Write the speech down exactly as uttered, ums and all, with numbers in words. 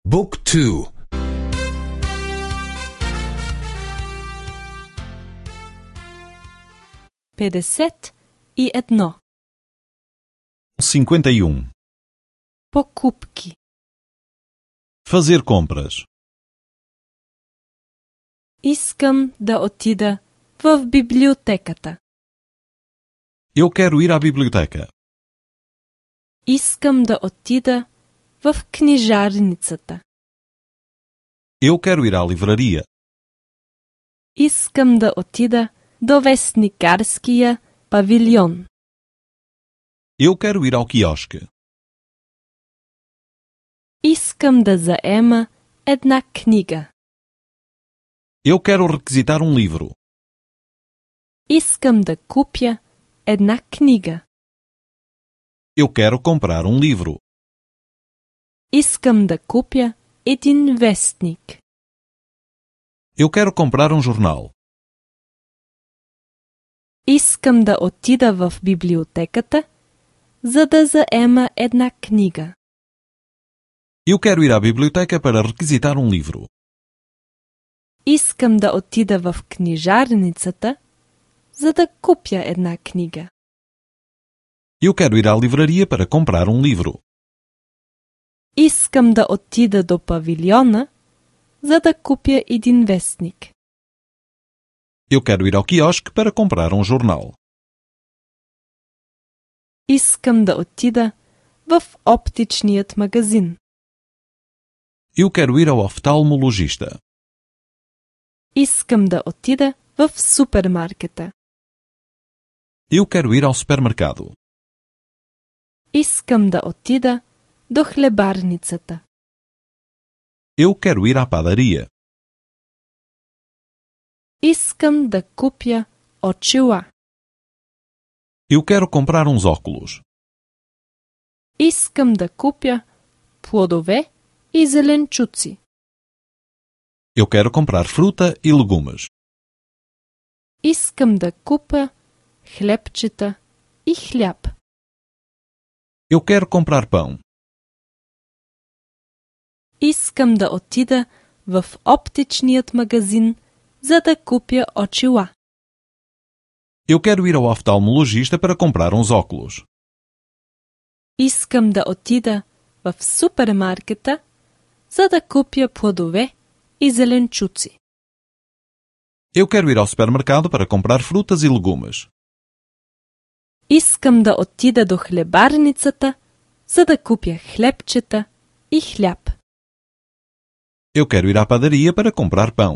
Book two. педесет и едно. cinquenta e um. Покупки. Fazer compras. Искам да отида в библиотеката. Eu quero ir à biblioteca. Искам да отида в книжарницата. Eu quero ir à livraria. Искам да отида до вестникарския павилион. Eu quero ir ao quiosque. Искам да заема една книга. Eu quero requisitar um livro. Искам да купя една книга. Eu quero comprar um livro. Искам да купя един вестник. Eu quero comprar um jornal. Искам да отида в библиотеката, за да заема една книга. Eu quero ir à biblioteca para requisitar um livro. Искам да отида в книжарницата, за да купя една книга. Eu quero ir à livraria para comprar um livro. Искам да отида до павилиона, за да купя един вестник. Eu quero ir ao quiosque para comprar um jornal. Искам да отида в оптичният магазин. Eu quero ir ao oftalmologista. Искам да отида в супермаркета. Eu quero ir ao supermercado. Искам да отида до хлебарницата. Eu quero ir à padaria. Искам да купя очила. Eu quero comprar uns óculos. Искам да купя плодове и зеленчуци. Eu quero comprar fruta e legumes. Искам да купя хлебчета и хляб. Eu quero comprar pão. Искам да отида в оптичният магазин, за да купя очила. Eu quero ir ao oftalmologista para comprar uns óculos. Искам да отида в супермаркета, за да купя плодове и зеленчуци. Eu quero ir ao supermercado para comprar frutas e legumes. Искам да отида до хлебарницата, за да купя хлебчета и хляб. Eu quero ir à padaria para comprar pão.